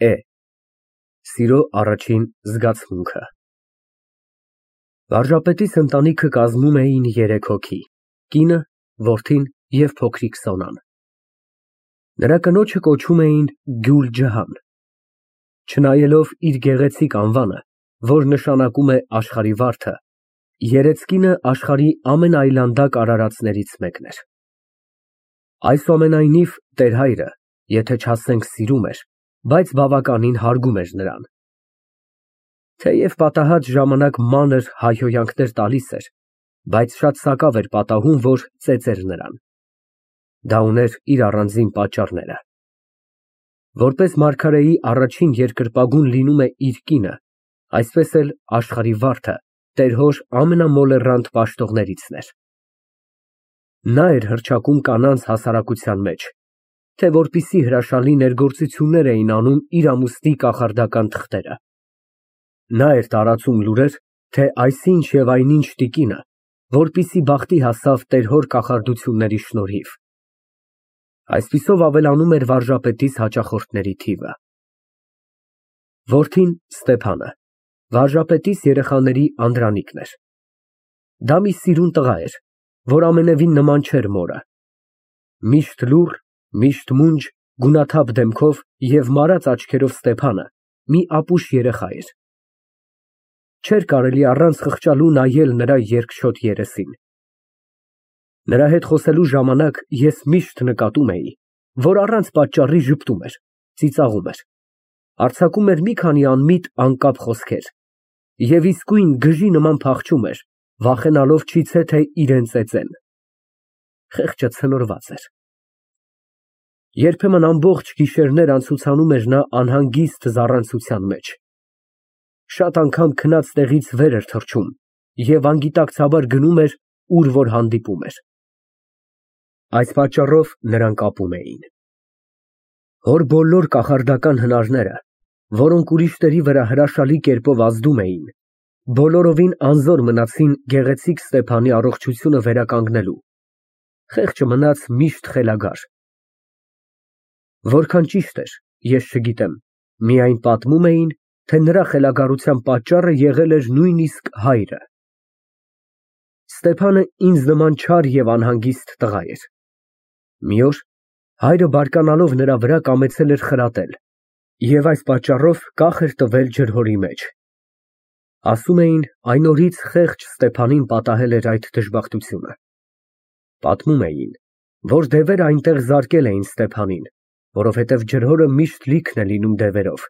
Է. Սիրո առաջին զգացմունքը։ Վարժապետիս ընտանիքը կազմում էին 3 հոգի՝ կինը, որդին և փոքրիկ Սոնան։ Նրա կնոջը կոչում էին Գյուլջահան։ Չնայելով իր գեղեցիկ անվանը, որ նշանակում է աշխարհի վարդը, երեծկինը աշխարհի ամենաայլանդակ արարածներից մեկն էր։ Այսուամենայնիվ, տեր հայրը, եթե չասենք սիրում էր, բայց բավականին հարգում էր նրան։ Թեև պատահած ժամանակ մանր հայհոյանքներ տալիս էր, բայց շատ սակավ էր պատահում, որ ծեծեր նրան։ Դա ուներ իր առանձին պատճառները։ Որպես մարգարեի առաջին երկրպագուն լինում է իր կինը, այսպես էլ աշխարհի վարդը տեր հոր ամենամոլեռանդ պաշտողներիցն էր։ Նա էր հռչակում կանանց հասարակության մեջ, թե որպիսի հրաշալի ներգործություններ էին անում իր ամուսնի կախարդական թղթերը։ Նա էր տարածում լուրեր, թե այսինչ և այնինչ տիկինը, որպիսի բախտի հասավ տեր հոր կախարդությունների շնորհիվ։ Այսպիսով ավելանում էր վարժապետիս հաճախորդների թիվը։ Որդին Ստեփանը վարժապետիս երեխաների անդրանիկն էր։ Դա մի սիրուն տղա էր, որ ամենևին նման չէր մորը։ Միշտ լուռ, միշտ մունջ, գունաթափ դեմքով և մարած աչքերով Ստեփանը մի ապուշ երեխա էր։ Չէր կարելի առանց խղճալու նայել նրա երկչոտ երեսին։ Նրա հետ խոսելու ժամանակ ես միշտ նկատում էի, որ առանց պատճառի ժպտում էր, ծիծաղում էր, արձակում էր մի քանի անմիտ, անկապ խոսքեր և իսկույն գժի նման փախչում էր, վախենալով չիթե թե իրան ծեծեն։ Խեղճը ցնորված էր։ Երբեմն ամբողջ գիշերներ անցուցանում էր նա անհանգիստ զառանցության մեջ։ Շատ անգամ քնած տեղից վեր էր թռչում և անգիտակցաբար գնում էր, ուր որ հանդիպում էր։ Այս պատճառով նրան կապում էին։ Հոր բոլոր կախարդական հնարները, որոնք ուրիշների վրա հրաշալի կերպով ազդում էին, բոլորովին անզոր մնացին գեղեցիկ Ստեփանի առողջությունը վերականգնելու։ Խեղճը մնաց միշտ խելագար։ Որքան ճիշտ էր, ես չգիտեմ, միայն պատմում էին, թե նրա խելագարության պատճառը եղել էր նույնիսկ հայրը։ Ստեփանը ինձ նման չար և անհանգիստ տղա էր։ Մի օր հայրը բարկանալով նրա վրա կամեցել էր խրատել և այս պատճառով կախ էր տվել ջրհորի մեջ։ Ասում էին, այն օրից խեղճ Ստեփանին պատահել էր այդ դժբախտությունը։ Պատմում էին, որ դևերը այնտեղ զարկել էին Ստեփանին, որովհետև ջրհորը միշտ լիքն է լինում դևերով։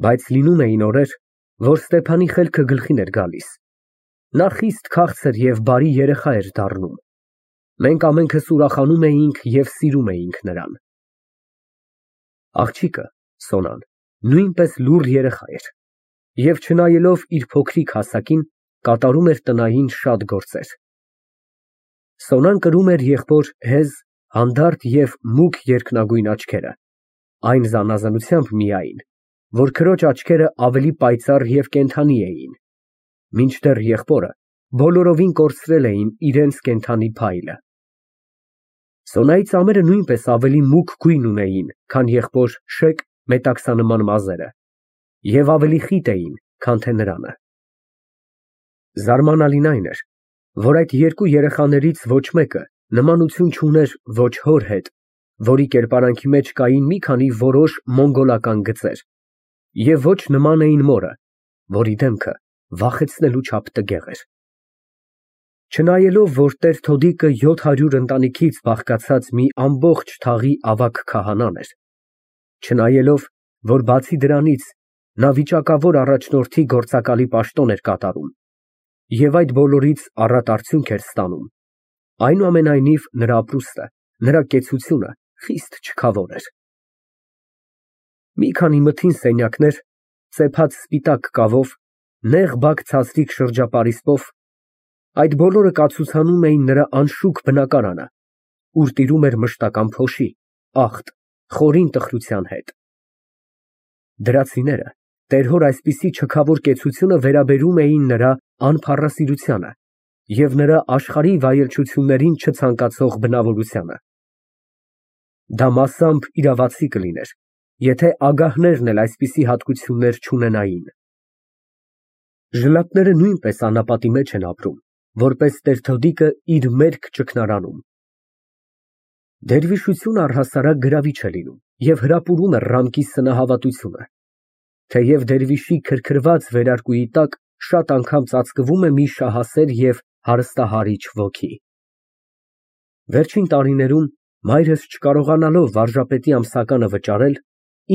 Բայց լինում էին օրեր, որ Ստեփանի խելքը գլխին էր գալիս։ Նա խիստ քաղցր և բարի երեխա էր դառնում։ Մենք ամենքս ուրախանում էինք և սիրում էինք նրան։ Աղջիկը, Սոնան, նույնպես լուռ երեխա էր և չնայելով իր փոքրիկ հասակին, կատարում էր տնային շատ գործեր։ Սոնան կրում էր եղբոր հեզ, հանդարտ և մուգ երկնագույն աչքերը, այն զանազանությամբ միայն, որ քրոջ աչքերը ավելի պայծառ և կենդանի էին, մինչդեռ եղբորը բոլորովին կորցրել էին իրենց կենդանի փայլը։ Սոնայի ծամերը նույնպես ավելի մուգ գույն ունեին, քան եղբոր շեկ մետաքսանման մազերը և ավելի խիտ էին, քան թե նրանը։ Զարմանալին այն էր, որ այդ երկու երեխաներից ոչ մեկը նմանություն չուներ ոչ հոր հետ, որի կերպարանքի մեջ կային մի քանի որոշ մոնգոլական գծեր, և ոչ նման էին մորը, որի դեմքը վախեցնելու չափ տգեղ էր։ Չնայելով, որ տեր Թոդիկը 700 ընտանիքից բաղկացած մի ամբողջ թաղի ավագ քահանան էր, չնայելով, որ բացի դրանից նա վիճակավոր առաջնորդի գործակալի պաշտոն էր կատարում և այդ բոլորից առատ արդյունք էր ստանում, այնուամենայնիվ նրա ապրուստը, նրա կեցությունը խիստ չքավոր էր։ Մի քանի մթին սենյակներ, ծեփած սպիտակ կավով, նեղ բակ ցածրիկ շրջապարիսպով, այդ բոլորը կացուցանում էին նրա անշուք բնակարանը, ուր տիրում էր մշտական փոշի, աղտ, խորին տխրության հետ։ Դրացիները տեր հոր այսպիսի չքավոր կեցությունը վերաբերում էին նրա անփառասիրությանը և նրա աշխարհի վայելչություններին չցանկացող բնավորությանը։ Դա մասամբ իրավացի կլիներ, եթե ագահներն էլ այսպիսի հատկություններ չունենային։ Ժլատները նույնպես անապատի մեջ են ապրում, որպես տեր-թոդիկը իր մերկ ճգնարանում։ Դերվիշությունը առհասարակ գրավիչ է լինում և հրապուրում է ռամկի սնահավատությունը, թեև դերվիշի քրքրված վերարկուի տակ շատ անգամ ծածկվում է մի շահասեր և հարստահարիչ ոգի։ Վերջին տարիներում, մայրս չկարողանալով վարժապետի ամսականը վճարել,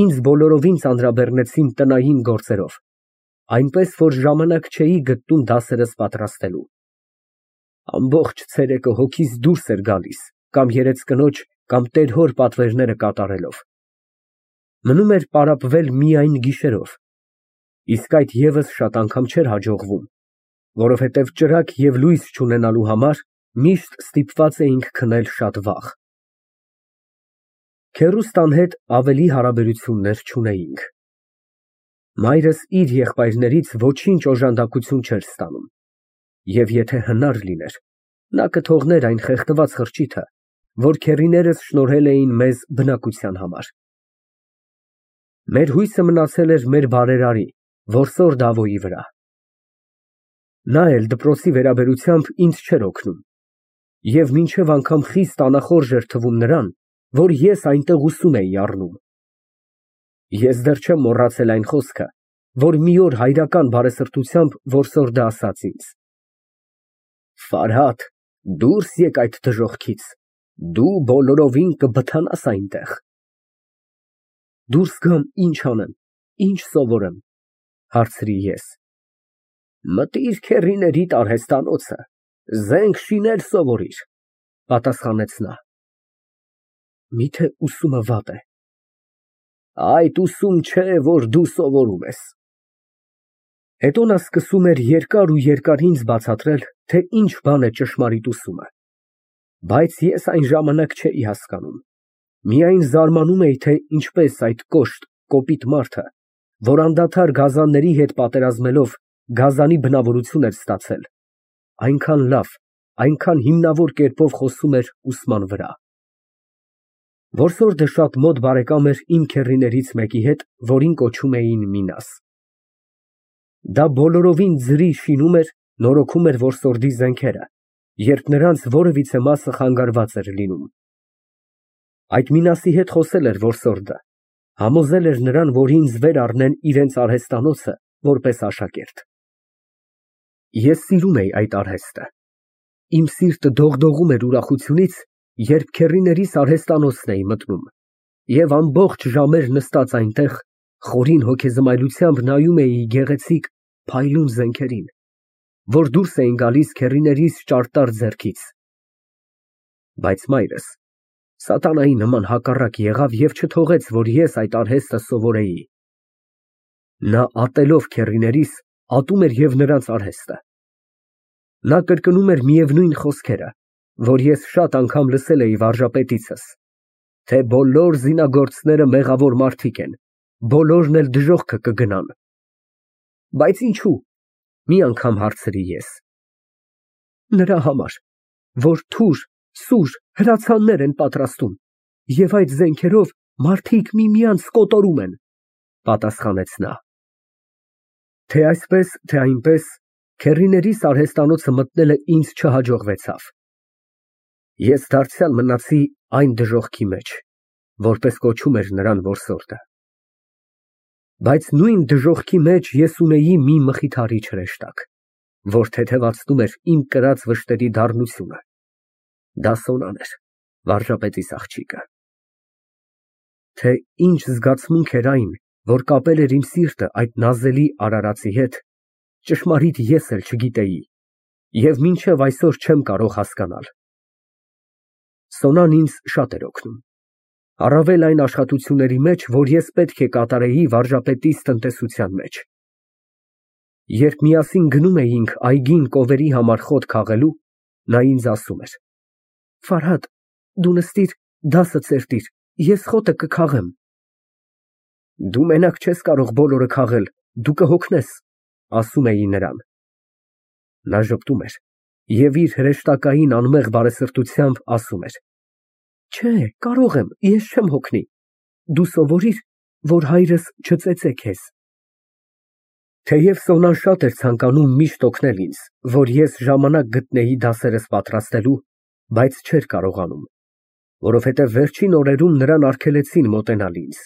ինձ բոլորովին ծանրաբեռնեցին տնային գործերով, այնպես որ ժամանակ չէի գտնում դասերս պատրաստելու։ Ամբողջ ցերեկը հոգիս դուրս էր գալիս կամ երեծկնոջ, կամ տեր֊հոր պատվերները կատարելով։ Մնում էր պարապվել միայն գիշերով, իսկ այդ ևս շատ անգամ չէր հաջողվում, որովհետև ճրագ և լույս չունենալու համար միշտ ստիպված էինք քնել շատ վաղ։ Քեռուստան հետ ավելի հարաբերություններ չունեինք։ Մայրս իր եղբայրներից ոչինչ օժանդակություն չէր ստանում, և եթե հնար լիներ, նա կթողներ այն խեղդված խրճիթը, որ քեռիներս շնորհել էին մեզ բնակության համար։ Մեր հույսը մնացել էր մեր բարերարի, որսոր Դավոյի վրա։ Նա էլ դպրոցի վերաբերությամբ ինձ չէր օգնում, և մինչև անգամ խիստ անախորժ էր թվում նրան, որ ես այնտեղ ուսում էի առնում։ Ես դեռ չեմ մոռացել այն խոսքը, որ մի օր հայրական բարեսրտությամբ որսորդը ասաց ինձ. Ֆարհադ, դուրս եկ այդ դժոխքից, դու բոլորովին կբթանաս այնտեղ։ Դուրս գամ, ինչ անեմ, ինչ սովորեմ, հարցրի ես։ Մտիր քեռիներիդ արհեստանոցը, զենք շինել սովորիր, պատասխանեց նա։ Միթե ուսումը վատ է։ Այդ ուսում չէ, որ դու սովորում ես։ Հետո նա սկսում էր երկար ու երկար ինձ բացատրել, թե ինչ բան է ճշմարիտ ուսումը, բայց ես այն ժամանակ չէի հասկանում, միայն զարմանում էի, թե ինչպես այդ կոշտ, կոպիտ մարդը, որ անդադար գազանների հետ պատերազմելով գազանի բնավորություն էր ստացել, այնքան լավ, այնքան հիմնավոր կերպով խոսում էր ուսման վրա։ Որսորդը շատ մոտ բարեկամ էր իմ քեռիներից մեկի հետ, որին կոչում էին Մինաս։ Դա բոլորովին ձրի շինում էր, նորոգում էր որսորդի զենքերը, երբ նրանց որևիցե մասը խանգարված էր լինում։ Այդ Մինասի հետ խոսել էր որսորդը, համոզել էր նրան, որ ինձ վեր առնեն իրենց արհեստանոցը, որպես աշակերտ։ Ես սիրում էի այդ արհեստը։ Իմ սիրտը դողդողում էր ուրախությունից, երբ քեռիներիս արհեստանոցն էի մտնում, և ամբողջ ժամեր նստած այնտեղ, խորին հոգեզմայլությամբ նայում էի գեղեցիկ, փայլուն զենքերին, որ դուրս էին գալիս քեռիներիս ճարտար ձեռքից։ Բայց մայրս սատանայի նման հակառակ եղավ և չթողեց, որ ես այդ արհեստը սովորեի։ Նա ատելով քեռիներիս, ատում էր և նրանց արհեստը։ Նա կրկնում էր միևնույն խոսքերը, որ ես շատ անգամ լսել էի վարժապետիցս, թե բոլոր զինագործները մեղավոր մարդիկ են, բոլորն էլ դժոխքը կգնան։ Բայց ինչու՞, մի անգամ հարցրի ես։ Նրա համար, որ թուր, սուր, հրացաններ են պատրաստում, և այդ զենքերով մարդիկ միմյանց կոտորում են, պատասխանեց նա։ Թե այսպես, թե այնպես, քեռիներիս արհեստանոցը մտնելը ինձ չհաջողվեցավ։ Ես դարձյալ մնացի այն դժոխքի մեջ, որպես կոչում էր նրան որսորդը։ Բայց նույն դժոխքի մեջ ես ունեի մի մխիթարիչ հրեշտակ, որ թեթևացնում էր իմ կրած վշտերի դառնությունը։ Դա Սոնան էր, վարժապետիս աղջիկը։ Թե ինչ զգացմունք էր այն, որ կապել էր իմ սիրտը այդ նազելի արարածի հետ, ճշմարիտ ես էլ չգիտեի և մինչև այսօր չեմ կարող հասկանալ։ Սոնան ինձ շատ էր օգնում, առավել այն աշխատությունների մեջ, որ ես պետք է կատարեի վարժապետիս տնտեսության մեջ։ Երբ միասին գնում էինք այգին կովերի համար խոտ քաղելու, նա ինձ ասում էր. Ֆարհադ, դու նստիր, դասը ցերտիր, ես խոտը կքաղեմ։ Դու մենակ չես կարող բոլորը քաղել, դու կհոգնես, ասում էի նրան։ Նա ժպտում էր և իր հրեշտակային անմեղ բարեսրտությամբ ասում էր. Չէ, կարող եմ, ես չեմ հոգնի, դու սովորիր, որ հայրս չծեծե քեզ։ Թեև Սոնան շատ էր ցանկանում միշտ օգնել ինձ, որ ես ժամանակ գտնեի դասերս պատրաստելու, բայց չէր կարողանում, որովհետև վերջին օրերում նրան արգելեցին մոտենալ ինձ,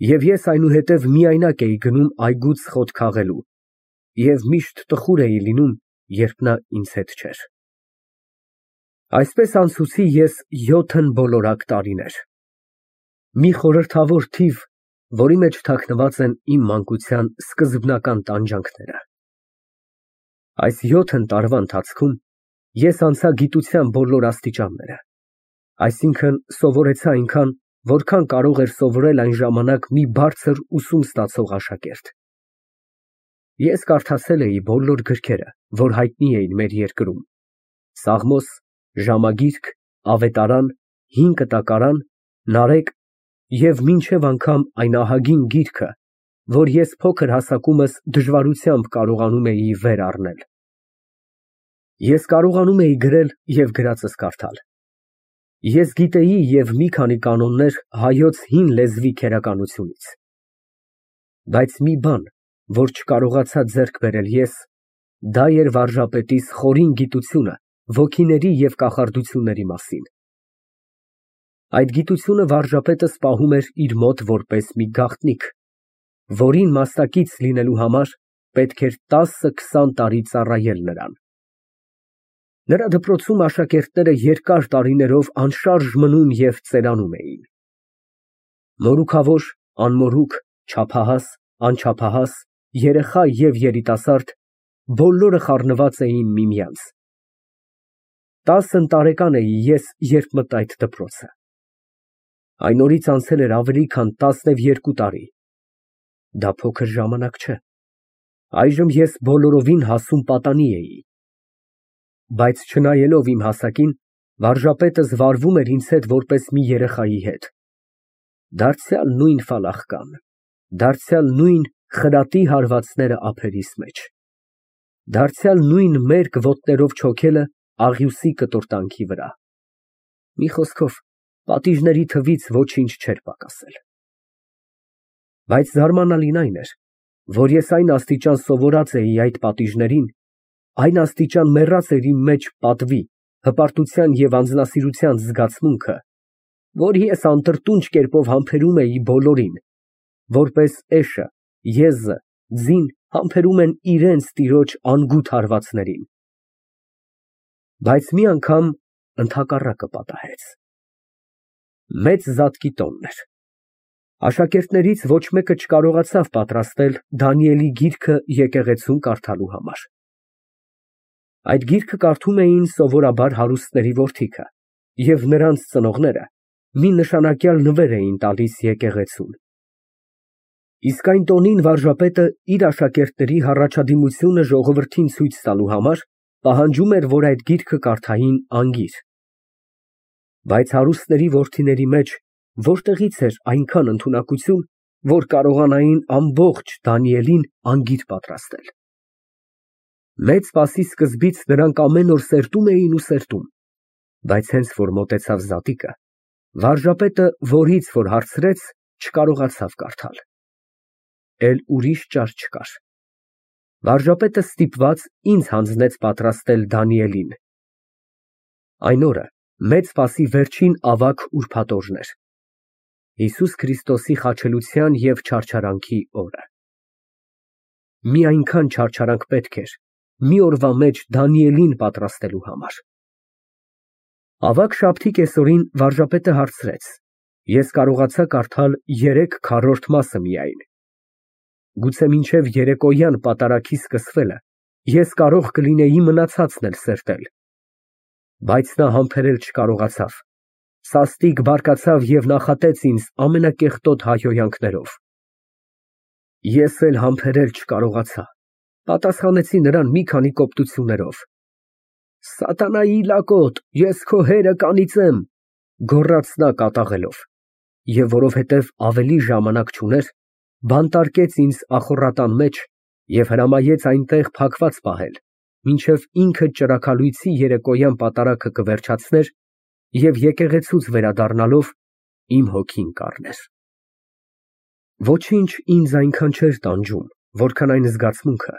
և ես այնուհետև միայնակ էի գնում այգուց խոտ քաղելու և միշտ տխուր էի լինում, երբ նա ինձ հետ չէր։ Այսպես անցուցի ես 7 բոլորակ տարիներ, մի խորհրդավոր թիվ, որի մեջ թաքնված են իմ մանկության սկզբնական տանջանքները։ Այս 7 տարվա ընթացքում ես անցա գիտության բոլոր աստիճանները, այսինքն սովորեցա այնքան, որքան կարող էր սովորել այն ժամանակ մի բարձր ուսում ստացող աշակերտ։ Ես կարդացել էի բոլոր գրքերը, որ հայտնի էին մեր երկրում, Սաղմոս, Ժամագիրք, Ավետարան, Հին Կտակարան, Նարեկ և մինչև անգամ այն ահագին գիրքը, որ ես փոքր հասակումս դժվարությամբ կարողանում էի վեր առնել։ Ես կարողանում էի գրել և գրածս կարդալ։ Ես գիտեի և մի քանի կանոններ հայոց հին լեզվի քերականությունից։ Բայց մի բան, որ չկարողացա ձեռք բերել ես, դա էր վարժապետիս խորին գիտությունը ոգիների և կախարդությունների մասին։ Այդ գիտությունը վարժապետս պահում էր իր մոտ որպես մի գաղտնիք, որին մասնակից լինելու համար պետք էր 10-20 տարի ծառայել նրան։ Նրա դպրոցում աշակերտները երկար տարիներով անշարժ մնում և ծերանում էին։ Մորուքավոր, անմորուք, չափահաս, անչափահաս, երեխա և երիտասարդ բոլորը խառնված էին միմյանց։ 10 տարեկան էի ես, երբ մտա այդ դպրոցը։ Այն օրից անցել էր ավելի քան 12 տարի։ Դա փոքր ժամանակ չէ։ Այժմ ես բոլորովին հասուն պատանի էի։ Բայց չնայելով իմ հասակին, վարժապետս վարվում էր ինձ հետ որպես մի երեխայի հետ։ Դարձյալ նույն ֆալախկան, դարձյալ նույն խրատի հարվածները ափերիս մեջ, դարձյալ նույն մերկ ոտներով չոքելը աղյուսի կտորտանքի վրա։ Մի խոսքով, պատիժների թվից ոչինչ չէր պակասել։ Բայց զարմանալին այն էր, որ ես այն աստիճան սովորած էի այդ պատիժներին, այն աստիճան մեռած էր իմ մեջ պատվի, հպարտության և անձնասիրության զգացմունքը, որ ես անտրտունջ կերպով համբերում էի բոլորին, որպես էշը, եզը, ձին համբերում են իրենց տիրոջ անգութ հարվածներին։ Բայց մի անգամ ընդհակառակը պատահեց։ Մեծ զատկի տոնն էր։ Աշակերտներից ոչ մեկը չկարողացավ պատրաստել Դանիելի գիրքը եկեղեցում կարդալու համար։ Այդ գիրքը կարդում էին սովորաբար հարուստների որդիքը, և նրանց ծնողները մի նշանակյալ նվեր էին տալիս եկեղեցուն։ Իսկ այն տոնին վարժապետը իր աշակերտների հառաջադիմությունը ժողովրդին ցույց տալու համար պահանջում էր, որ այդ գիրքը կարդային անգիր։ Բայց հարուստների որդիների մեջ որտեղից էր այնքան ընդունակություն, որ կարողանային ամբողջ Դանիելին անգիր պատրաստել։ Մեծ Սպասի սկզբից նրանք ամեն օր սերտում էին ու սերտում, բայց հենց որ մոտեցավ զատիկը, վարժապետը, որից որ հարցրեց, չկարողացավ կարդալ։ Էլ ուրիշ ճար չկար։ Վարժապետը ստիպված ինձ հանձնեց պատրաստել Դանիելին։ Այն օրը Մեծ Սպասի վերջին ավագ ուրբաթ օրն էր, Հիսուս Քրիստոսի խաչելության և չարչարանքի օրը։ Մի այնքան չարչարանք պետք էր մի օրվա մեջ Դանիելին պատրաստելու համար։ Ավագ շաբթի կեսօրին վարժապետը հարցրեց, ես կարողացա կարդալ 3/4 մասը միայն։ Գուցե մինչև երեկոյան պատարագի սկսվելը ես կարող կլինեի մնացածն էլ սերտել։ Բայց նա համբերել չկարողացավ, սաստիկ բարկացավ և նախատեց ինձ ամենակեղտոտ հայհոյանքներով։ Ես էլ համբերել չկարողացա, պատասխանեցի նրան մի քանի կոպտություններով։ Սատանայի լակոտ, ես քո հերը կանիծեմ, գոռաց նա կատաղելով, և որովհետև ավելի ժամանակ չուներ, բանտարկեց ինձ ախոռատան մեջ և հրամայեց այնտեղ փակված պահել, մինչև ինքը ճրագալույցի երեկոյան պատարագը կվերջացներ և եկեղեցուց վերադառնալով իմ հոգին կառներ։ Ոչինչ ինձ այնքան չէր տանջում, որքան այն զգացմունքը,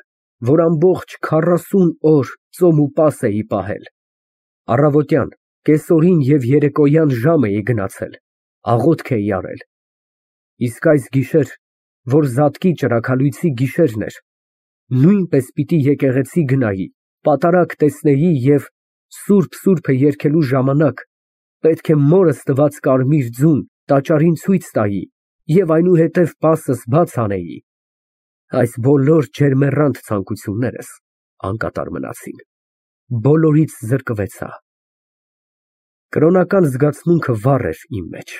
որ ամբողջ 40 օր ծոմ ու պաս էի պահել։ Առավոտյան, կեսօրին և երեկոյան ժամ էի գնացել, աղոթք էի արել։ Իսկ այս գիշեր, որ զատկի ճրագալույցի գիշերն էր, նույնպես պիտի եկեղեցի գնայի, պատարագ տեսնեի և սուրբ երգելու ժամանակ պետք է մորս տված կարմիր ձուն տաճարին ցույց տայի և այնուհետև պասս բաց անեի, այս բոլոր ջերմեռանդ ցանկություններս անկատար մնացին, բոլորից զրկվեցա։ Կրոնական զգացմունքը վառ էր իմ մեջ,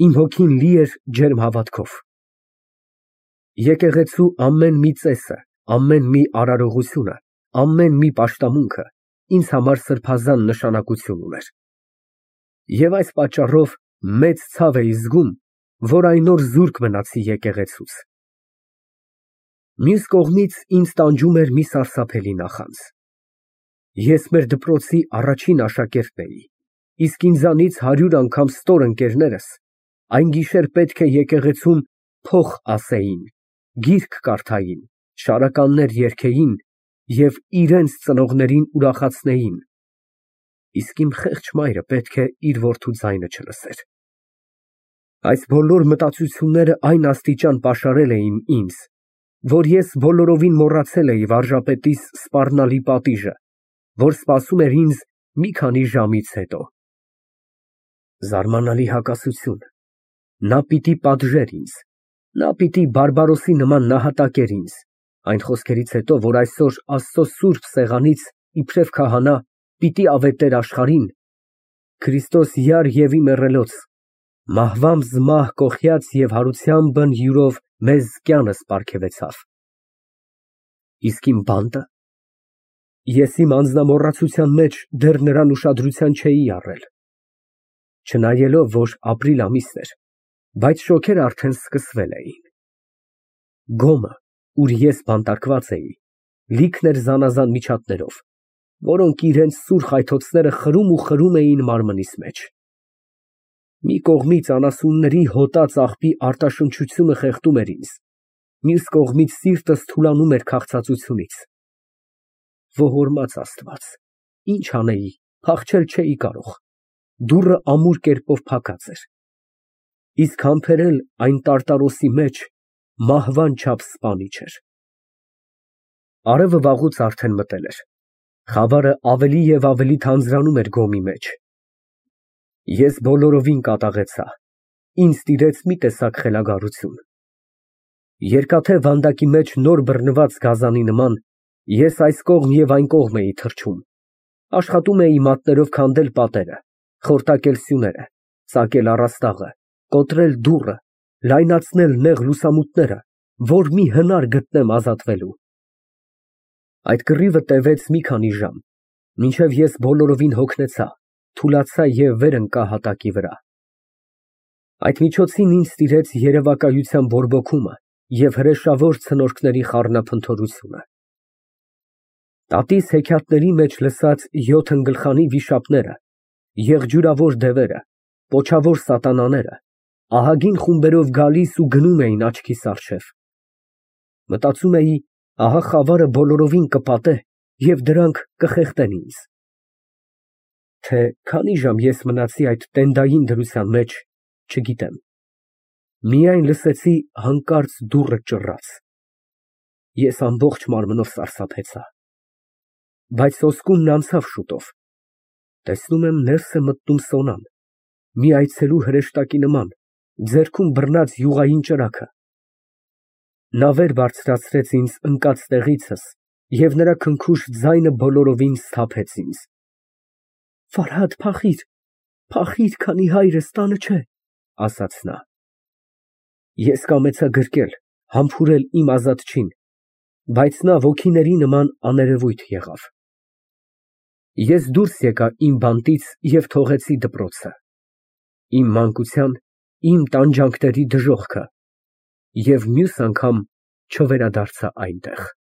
իմ հոգին լի էր ջերմ հավատքով։ Եկեղեցու ամեն մի ծեսը, ամեն մի արարողությունը, ամեն մի պաշտամունքը ինձ համար սրբազան նշանակություն ուներ։ Եվ այս պատճառով մեծ ցավ էի զգում, որ այն օր զուրկ մնացի եկեղեցուց։ Մյուս կողմից ինձ տանջում էր մի սարսափելի նախանձ։ Ես մեր դպրոցի առաջին աշակերտն էի, իսկ ինձանից 100 անգամ ստոր ընկերներս այն գիշեր պետք է եկեղեցում փող ասեին, գիրք կարդային, շարականներ երգեին և իրենց ծնողներին ուրախացնեին, իսկ իմ խեղճ մայրը պետք է իր որդու ձայնը չլսեր։ Այս բոլոր մտածությունները այն աստիճան պաշարել էին ինձ, որ ես բոլորովին մոռացել էի վարժապետիս սպառնալի պատիժը, որ սպասում էր ինձ մի քանի ժամից հետո։ Զարմանալի հակասություն, նա պիտի պատժեր ինձ, նա պիտի բարբարոսի նման նահատակեր ինձ, այն խոսքերից հետո, որ այսօր Աստծո սուրբ սեղանից իբրև քահանա պիտի ավետեր աշխարհին, Քրիստոս յար և մեռելոց, մահվանց մահ կոխյաց և հարությամբ յուրով մեզ կյանս պարգևեցավ։ Իսկ իմ բանտը, ես իմ անձնամոռացության մեջ դեռ նրան ուշադրության չէի առել, չնայելով, որ ապրիլ ամիսն էր, բայց շոգերն արդեն սկսվել էին։ Գոմը, ուր ես բանտարկված էի, լիքն էր զանազան միջատներով, որոնք իրենց սուր խայթոցները խրում էին մարմնիս մեջ։ Մի կողմից անասունների հոտած աղբի արտաշնչությունը խեղդում էր ինձ, մյուս կողմից սիրտս թուլանում էր քաղցածությունից։ Ողորմած Աստված, ինչ անեի, փախչել չէի կարող, դուռը ամուր կերպով փակած էր, իսկ համբերել այն տարտարոսի մեջ մահվան չափ սպանիչ էր։ Արևը վաղուց արդեն մտել էր, խավարը ավելի և ավելի թանձրանում էր գոմի մեջ։ Ես բոլորովին կատաղեցա, ինձ տիրեց մի տեսակ խելագարություն։ Երկաթե վանդակի մեջ նոր բռնված գազանի նման ես այս կողմ և այն կողմ էի թռչում, աշխատում էի մատներով քանդել պատերը, խորտակել սյուները, ծակել առաստաղը, կոտրել դուռը, լայնացնել նեղ լուսամուտները, որ մի հնար գտնեմ ազատվելու։ Այդ կռիվը տևեց մի քանի ժամ, մինչև ես բոլորովին հոգնեցա, թուլացա և վեր ընկա հատակի վրա։ Այդ միջոցին ինձ տիրեց երևակայության բորբոքումը և հրեշավոր ցնորքների խառնափնթորությունը։ Տատիս հեքիաթների մեջ լսած 7 ըմբլխանի վիշապները, եղջյուրավոր դևերը, պոչավոր սատանաները ահագին խումբերով գալիս ու գնում էին աչքիս առջև։ Մտածում էի, ահա խավարը բոլորովին կպատե և դրանք կխեղդեն ինձ։ Թե քանի ժամ ես մնացի այդ տենդային դրության մեջ, չգիտեմ, միայն լսեցի հանկարծ դուռը ճռաց։ Ես ամբողջ մարմնով սարսափեցա, բայց սոսկումն անցավ շուտով, տեսնում եմ ներս է մտնում Սոնան, մի այցելու հրեշտակի նման, ձեռքում բռնած յուղային ճրագը։ Նա վեր բարձրացրեց ինձ ընկած տեղիցս և նրա քնքուշ ձայնը բոլորովին սթափեց ինձ։ Վարհադ, փախիր, քանի հայրս տանը չէ, ասաց նա։ Ես կամեցա գրկել, համբուրել իմ ազատչին, բայց նա ոգիների նման աներևույթ եղավ։ Ես դուրս եկա իմ բանտից և թողեցի դպրոցը, իմ մանկության, իմ տանջանքների դժոխքը և մյուս անգամ չվերադարձա այնտեղ։